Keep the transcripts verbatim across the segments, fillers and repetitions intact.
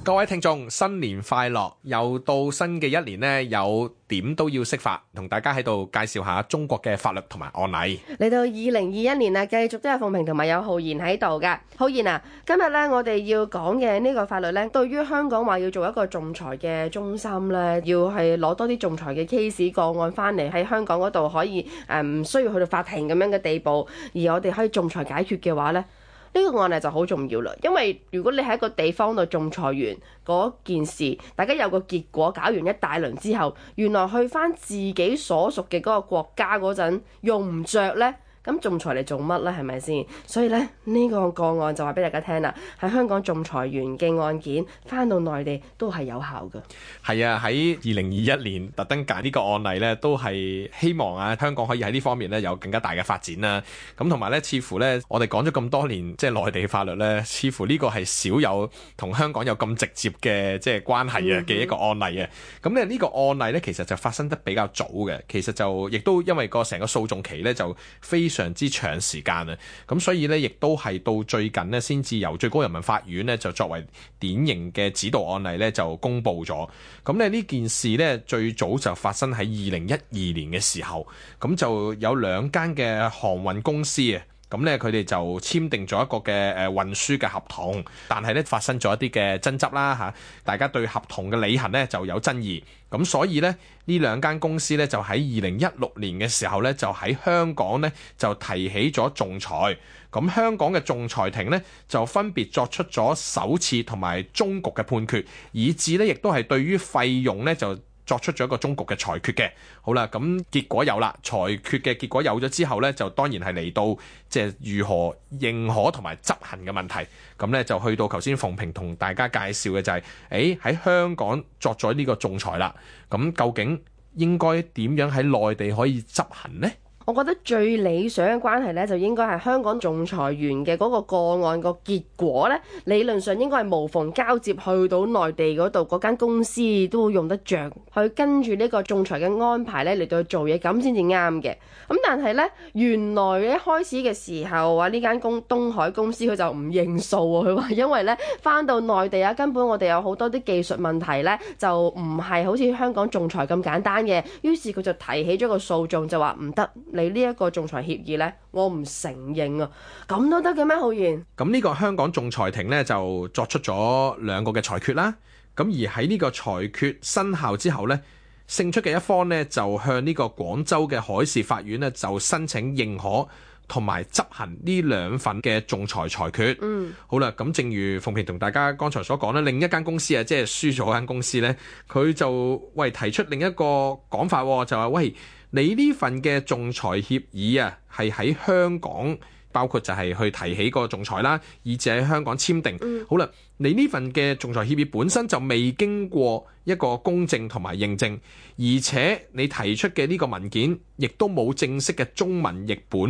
各位聽眾，新年快樂！又到新嘅一年呢，有點都要識法，同大家喺度介紹下中國嘅法律同埋案例。嚟到二零二一年啊，繼續都有鳳萍同埋有浩然喺度噶。浩然啊，今日呢，我哋要講嘅呢個法律呢，對於香港話要做一個仲裁嘅中心呢，要係攞多啲仲裁嘅 case 個案翻嚟喺香港嗰度可以誒唔、呃、需要去到法庭咁樣嘅地步，而我哋可以仲裁解決嘅話呢。呢個案例就好重要啦，因為如果你喺一個地方度仲裁完嗰件事，大家有個結果，搞完一大輪之後，原來去返自己所屬嘅嗰個國家嗰陣用唔着呢，咁仲裁嚟做乜呢？係咪先？所以呢，呢、這個個案就話俾大家聽啦，喺香港仲裁完嘅案件返到內地都係有效嘅。係啊，喺二零二一年特登揀呢個案例呢，都係希望啊香港可以喺呢方面呢有更加大嘅發展啦。咁同埋呢，似乎呢，我哋講咗咁多年即係內地法律呢，似乎呢個係少有同香港有咁直接嘅即係關係嘅嘅一個案例啊。咁咧呢個案例呢，其實就發生得比較早嘅，其實就亦都因為個成個訴訟期呢，就非常非常之長時間啊，咁所以咧，亦都係到最近咧，先至由最高人民法院咧就作為典型嘅指導案例咧就公布咗。咁咧呢件事咧最早就發生喺二零一二年嘅時候，咁就有兩間嘅航運公司啊。咁咧，佢哋就簽訂咗一個嘅誒運輸嘅合同，但係咧發生咗一啲嘅爭執啦嚇，大家對合同嘅履行咧就有爭議，咁所以咧呢兩間公司咧就喺二零一六年嘅時候咧就喺香港咧就提起咗仲裁，咁香港嘅仲裁庭咧就分別作出咗首次同埋終局嘅判決，以至咧亦都係對於費用咧就作出咗一個終局嘅裁決嘅。好啦，咁結果有啦，裁決嘅結果有咗之後呢，就當然係嚟到即係如何認可同埋執行嘅問題。咁呢，就去到頭先鳳萍同大家介紹嘅就係、是，誒喺香港作咗呢個仲裁啦。咁究竟應該點樣喺內地可以執行呢？我覺得最理想嘅關係咧，就應該係香港仲裁員嘅嗰個個案個結果咧，理論上應該係無縫交接去到內地嗰度，嗰間公司都會用得着去跟住呢個仲裁嘅安排咧嚟到去做嘢，咁先至啱嘅。咁但係咧，原來一開始嘅時候啊，呢間公東海公司佢就唔認數喎，佢話因為咧翻到內地啊，根本我哋有好多啲技術問題咧，就唔係好似香港仲裁咁簡單嘅。於是佢就提起咗個訴訟，就話唔得。你呢一個仲裁協議呢，我唔承認啊！咁都得嘅咩？浩然？咁呢個香港仲裁庭呢，就作出咗兩個嘅裁決啦。咁而喺呢個裁決生效之後呢，勝出嘅一方呢，就向呢個廣州嘅海事法院呢，就申請認可同埋執行呢兩份嘅仲裁裁決。嗯，好啦，咁正如鳳萍同大家剛才所講咧，另一間公司啊，即係輸咗間公司呢，佢就喂提出另一個講法，就話喂。你呢份嘅仲裁協議啊，係喺香港，包括就係去提起個仲裁啦，以至喺香港簽訂。嗯、好啦，你呢份嘅仲裁協議本身就未經過一個公證同埋認證，而且你提出嘅呢個文件亦都冇正式嘅中文譯本。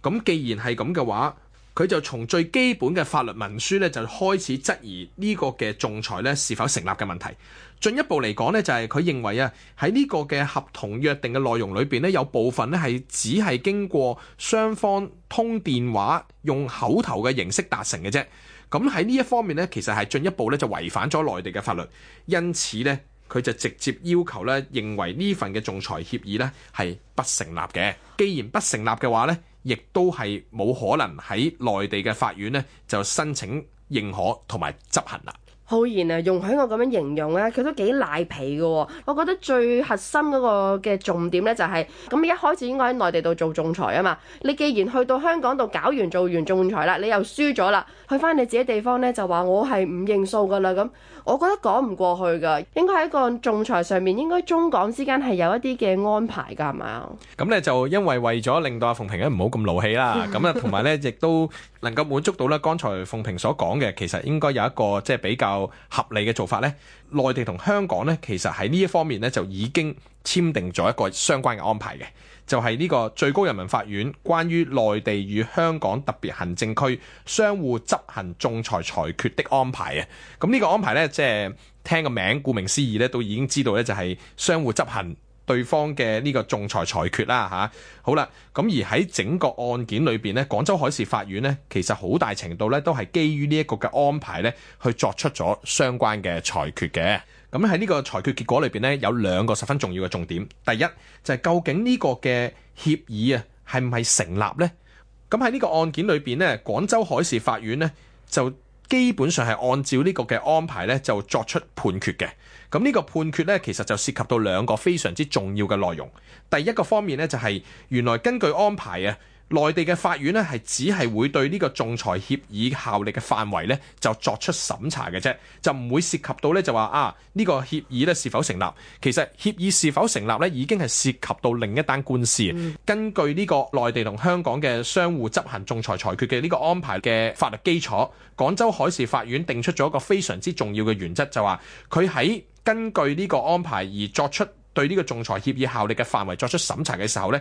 咁既然係咁嘅話，佢就從最基本嘅法律文書咧，就開始質疑呢個嘅仲裁咧是否成立嘅問題。進一步嚟講咧，就係佢認為啊，喺呢個嘅合同約定嘅內容裏邊咧，有部分咧係只係經過雙方通電話用口頭嘅形式達成嘅啫。咁喺呢一方面咧，其實係進一步咧就違反咗內地嘅法律。因此咧，佢就直接要求咧，認為呢份嘅仲裁協議咧係不成立嘅。既然不成立嘅話咧，亦都係冇可能喺內地嘅法院咧就申請認可同埋執行啦。浩然啊，容許我咁樣形容咧，佢都幾賴皮嘅喎。我覺得最核心嗰個嘅重點咧就係、是，咁一開始應該喺內地度做仲裁啊嘛。你既然去到香港度搞完做完仲裁啦，你又輸咗啦，去翻你自己地方咧就話我係唔認數噶啦咁，我覺得講唔過去噶。應該喺個仲裁上面，應該中港之間係有一啲嘅安排㗎，係咪啊？咁咧就因為為咗令到阿鳳萍咧唔好咁勞氣啦，咁啊同埋咧亦都能夠滿足到咧剛才鳳萍所講嘅，其實應該有一個即係比較合理嘅做法咧。內地同香港咧，其實喺呢一方面咧就已經簽訂咗一個相關嘅安排嘅，就係呢個最高人民法院關於內地與香港特別行政區相互執行仲裁裁決的安排啊。咁呢個安排咧，即係聽個名，顧名思義咧，都已經知道咧，就係相互執行對方嘅呢個仲裁裁決啦嚇。好啦，咁而喺整個案件裏邊呢，廣州海事法院呢，其實好大程度呢都係基於呢一個嘅安排呢去作出咗相關嘅裁決嘅。咁喺呢個裁決結果裏邊呢，有兩個十分重要嘅重點。第一就係究竟呢個嘅協議啊係唔係成立呢？咁喺呢個案件裏邊呢，廣州海事法院呢就基本上係按照呢個嘅安排呢就作出判決嘅。咁呢個判決呢，其實就涉及到兩個非常之重要嘅內容。第一個方面呢，就係原來根據安排啊，內地嘅法院呢係只係會對呢個仲裁協議效力嘅範圍呢就作出審查嘅啫，就唔會涉及到呢就話啊呢個協議呢是否成立。其實協議是否成立呢已經係涉及到另一單官司。嗯、根據呢個內地同香港嘅相互執行仲裁裁決嘅呢個安排嘅法律基礎，廣州海事法院定出咗一個非常之重要嘅原則，就話佢喺根據呢個安排而作出對呢個仲裁協議效力嘅範圍作出審查嘅時候呢，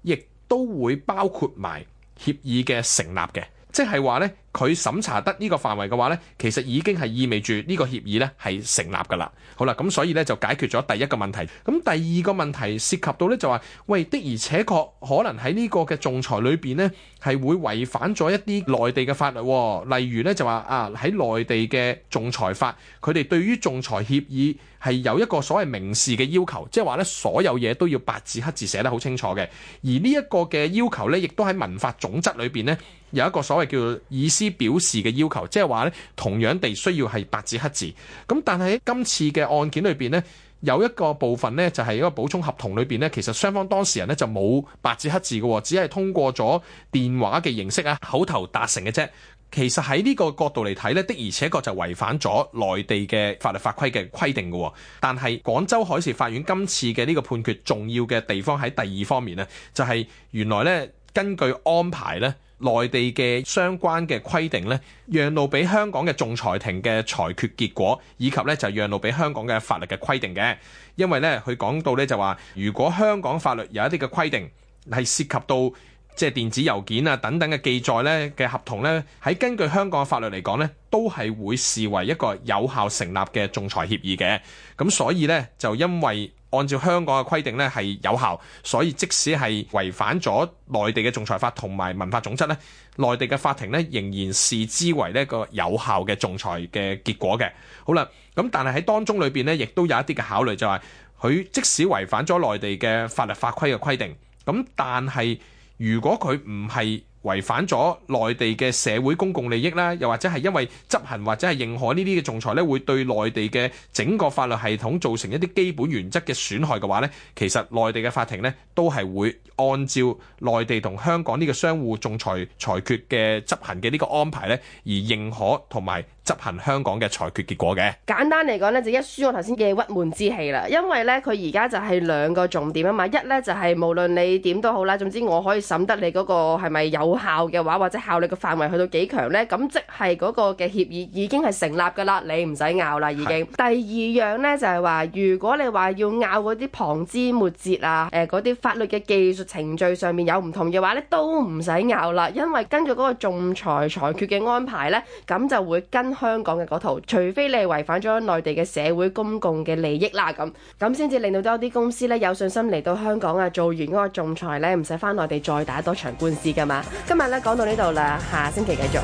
亦都會包括埋協議嘅成立嘅，即係話呢，佢審查得呢個範圍嘅話呢，其實已經係意味住呢個協議呢係成立㗎啦。好啦，咁所以呢，就解決咗第一個問題。咁第二個問題涉及到呢，就話，喂，的而且確可能喺呢個嘅仲裁裏邊呢，係會違反咗一啲內地嘅法律，例如呢，就話啊喺內地嘅仲裁法，佢哋對於仲裁協議係有一個所謂明示嘅要求，即係話呢，所有嘢都要白紙黑字寫得好清楚嘅。而呢一個嘅要求呢，亦都喺民法總則裏邊呢，有一個所謂叫做意思表示嘅要求，即係話呢，同樣地需要係白紙黑字。咁但係喺今次嘅案件裏邊呢，有一個部分呢，就係一個補充合同裏邊呢，其實雙方當事人呢就冇白紙黑字嘅，只係通過咗電話嘅形式啊，口頭達成嘅啫。其實喺呢個角度嚟睇呢，的而且確就違反咗內地嘅法律法規嘅規定嘅。但係廣州海事法院今次嘅呢個判決重要嘅地方喺第二方面呢，就係原來呢，根據安排呢，內地嘅相關嘅規定呢，讓路俾香港嘅仲裁庭嘅裁決結果，以及呢就讓路俾香港嘅法律嘅規定嘅。因為呢，佢講到呢就話，如果香港法律有一啲嘅規定係涉及到即係電子郵件啊等等嘅記載呢嘅合同呢，喺根據香港嘅法律嚟講呢，都係會視為一個有效成立嘅仲裁協議嘅。咁所以呢，就因為按照香港嘅規定呢係有效，所以即使係違反咗內地嘅仲裁法同埋民法總則呢，內地嘅法庭呢仍然視之為呢個有效嘅仲裁嘅結果嘅。好啦，咁但係喺當中裏邊呢，亦都有一啲嘅考慮，就係佢即使違反咗內地嘅法律法規嘅規定，咁但係如果佢唔係違反咗內地嘅社會公共利益啦，又或者係因為執行或者係認可呢啲嘅仲裁咧，會對內地嘅整個法律系統造成一啲基本原則嘅損害嘅話咧，其實內地嘅法庭咧都係會按照內地同香港呢個相互仲裁裁決嘅執行嘅呢個安排咧，而認可同埋執行香港嘅裁決結果嘅。簡單嚟講咧，就一書我頭先嘅鬱悶之氣啦，因為咧佢而家就係兩個重點啊嘛，一咧就係無論你點都好啦，總之我可以審得你嗰個係咪有效嘅話，或者效力嘅範圍去到幾強咧，咁即係嗰個嘅協議已經係成立噶啦，你唔使拗啦已經。第二樣咧就係話，如果你話要拗嗰啲旁枝末節啊，誒嗰啲法律嘅技術程序上面有唔同嘅話咧，都唔使拗啦，因為根據嗰個仲裁裁決嘅安排咧，咁就會跟香港嘅嗰套，除非你係違反咗內地嘅社會公共嘅利益啦，咁咁先至令到多啲公司咧有信心嚟到香港啊，做完嗰個仲裁咧，唔使翻內地再打多場官司噶嘛。今日咧講到呢度啦，下星期繼續。